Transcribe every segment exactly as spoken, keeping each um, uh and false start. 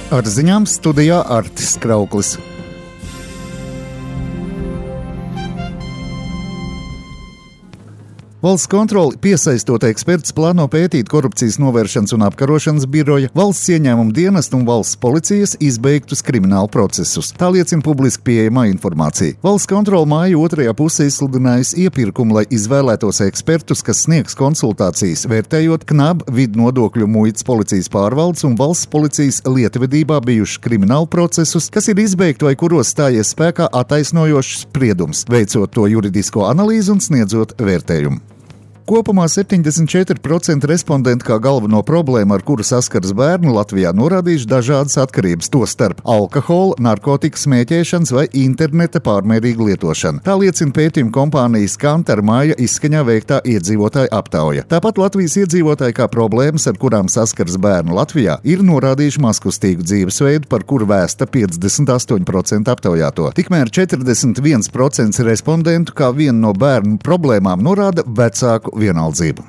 Ar ziņām studijā Artis Krauklis. Valsts kontrole, piesaistot ekspertus, plāno pētīt korupcijas novēršanas un apkarošanas biroja, valsts ieņēmuma dienesta un valsts policijas izbeigtus kriminālu procesus. Tā liecina publiski pieejamā informācija. Valsts kontrole māja otrajā pusē izsludinājusi iepirkumu, lai izvēlētos ekspertus, kas sniegs konsultācijas, vērtējot K N A B, Vidnodokļu muitas policijas pārvaldes un valsts policijas lietvedībā bijušus kriminālu procesus, kas ir izbeigti vai kuros stājies spēkā attaisnojošs spriedums, veicot to juridisko analīzi un sniedzot vērtējumu. Kopumā septiņdesmit četri procenti respondentu kā galveno problēmu, ar kuru saskaras bērni, Latvijā norādījuši dažādas atkarības, tostarp alkohola, narkotiku smēķēšanas vai interneta pārmērīgu lietošanu. Tā liecina pētījuma kompānijas Kantar māja izskaņā veiktā iedzīvotāju aptauja. Tāpat Latvijas iedzīvotāji kā problēmas, ar kurām saskaras bērni Latvijā, ir norādījuši mazkustīgu dzīvesveidu, par kuru vēsta piecdesmit astoņi procenti aptaujāto. Tikmēr četrdesmit viens procents respondentu kā vienu no bērnu problēmām norāda vecāku vienaldzību.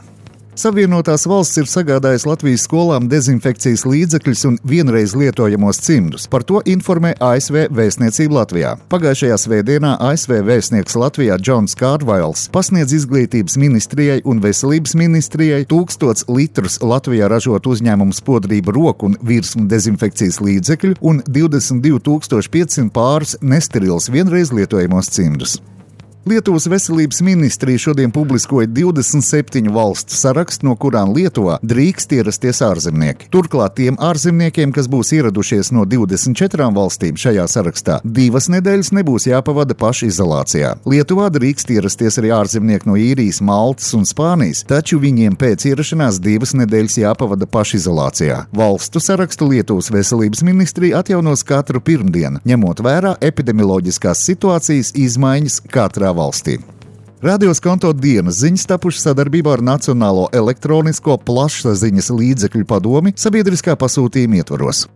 Savienotās valsts ir sagādājusi Latvijas skolām dezinfekcijas līdzekļus un vienreiz lietojamos cimdus. Par to informē A S V vēstniecība Latvijā. Pagājušajā svētdienā A S V vēstnieks Latvijā Džons Kārvails pasniedz izglītības ministrijai un veselības ministrijai tūkstots litrus Latvijā ražot uzņēmumu spodrību roku un virsmu dezinfekcijas līdzekļu un divdesmit divi tūkstoši piecsimt pāris nesterils vienreiz lietojamos cimdus. Lietuvas veselības ministrija šodien publiskoja divdesmit septiņu valstu sarakstu, no kurām Lietuvā drīkst ierasties ārzemnieki. Turklāt tiem ārzemniekiem, kas būs ieradušies no divdesmit četrām valstīm šajā sarakstā, divas nedēļas nebūs jāpavada pašizolācijā. Lietuvā drīkst ierasties arī ārzemnieki no Īrijas, Maltas un Spānijas, taču viņiem pēc ierašanās divas nedēļas jāpavada pašizolācijā. Valstu sarakstu Lietuvas veselības ministrija atjaunos katru pirmdienu, ņemot vērā epidemioloģiskās situācijas izmaiņas katrā valstī. Radio Skonto dienas ziņas tapušas sadarbībā ar Nacionālo elektronisko plašsaziņas līdzekļu padomi sabiedriskā pasūtījuma ietvaros.